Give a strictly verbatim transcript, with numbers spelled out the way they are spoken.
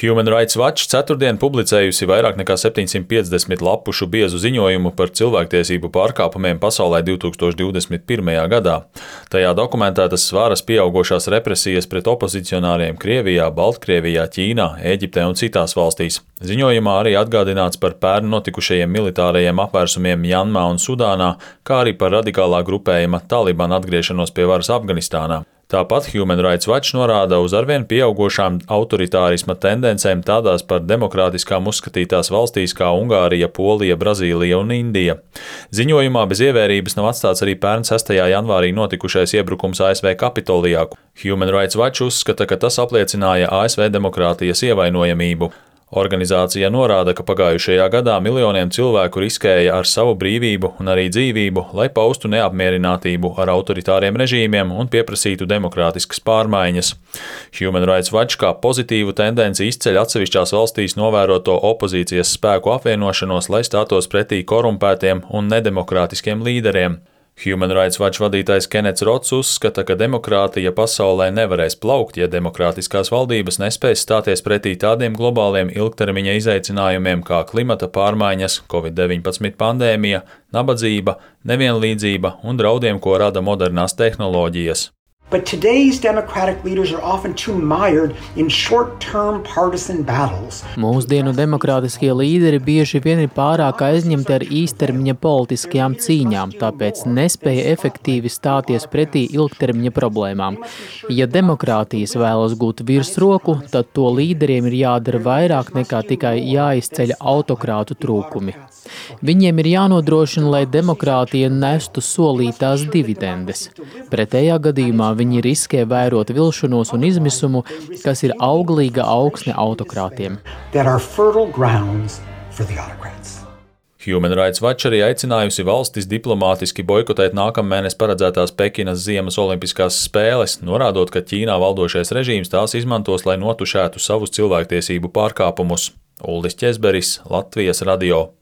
Human Rights Watch ceturtdien publicējusi vairāk nekā septiņsimt piecdesmit lapušu biezu ziņojumu par cilvēktiesību pārkāpumiem pasaulē divtūkstoš divdesmit pirmajā gadā. Tajā dokumentētas svaras pieaugošās represijas pret opozicionāriem Krievijā, Baltkrievijā, Ķīnā, Ēģiptē un citās valstīs. Ziņojumā arī atgādināts par pērn notikušajiem militārajiem apvērsumiem Mjanmā un Sudānā, kā arī par radikālā grupējuma Taliban atgriešanos pie varas Afganistānā. Tāpat Human Rights Watch norāda uz arvien pieaugošām autoritārisma tendencēm tādās par demokrātiskām uzskatītās valstīs kā Ungārija, Polija, Brazīlija un Indija. Ziņojumā bez ievērības nav atstāts arī pērn sestajā janvārī notikušais iebrukums A S V Kapitolijā. Human Rights Watch uzskata, ka tas apliecināja A S V demokrātijas ievainojamību. Organizācija norāda, ka pagājušajā gadā miljoniem cilvēku riskēja ar savu brīvību un arī dzīvību, lai paustu neapmierinātību ar autoritāriem režīmiem un pieprasītu demokrātiskas pārmaiņas. Human Rights Watch kā pozitīvu tendenci izceļ atsevišķās valstīs novēroto opozīcijas spēku apvienošanos, lai stātos pretī korumpētiem un nedemokrātiskiem līderiem. Human Rights Watch vadītājs Kenets Rots uzskata, ka demokrātija pasaulē nevarēs plaukt, ja demokrātiskās valdības nespēs stāties pretī tādiem globāliem ilgtermiņa izaicinājumiem kā klimata pārmaiņas, covid deviņpadsmit pandēmija, nabadzība, nevienlīdzība un draudiem, ko rada modernās tehnoloģijas. But today's democratic leaders are often too mired in short-term partisan battles. Mūsdienu demokrātiskie līderi bieži vien ir pārāk aizņemti ar īstermiņa politiskajām cīņām, tāpēc nespēja efektīvi stāties pretī ilgtermiņa problēmām. Ja demokrātijas vēlas gūt virsroku, tad to līderiem ir jādara vairāk nekā tikai jāizceļ autokrātu trūkumi. Viņiem ir jānodrošina, lai demokrātija nestu solītās dividendes. Pretējā gadījumā viņi riskē vērot vilšanos un izmisumu, kas ir auglīga augsne autokrātiem. Human Rights Watch arī aicinājusi valstis diplomātiski boikotēt nākamnedēļ paredzētās Pekinas ziemas olimpiskās spēles, norādot, ka Ķīnā valdošais režīms tās izmantos, lai notušētu savus cilvēktiesību pārkāpumus. Uldis Ķezberis, Latvijas radio.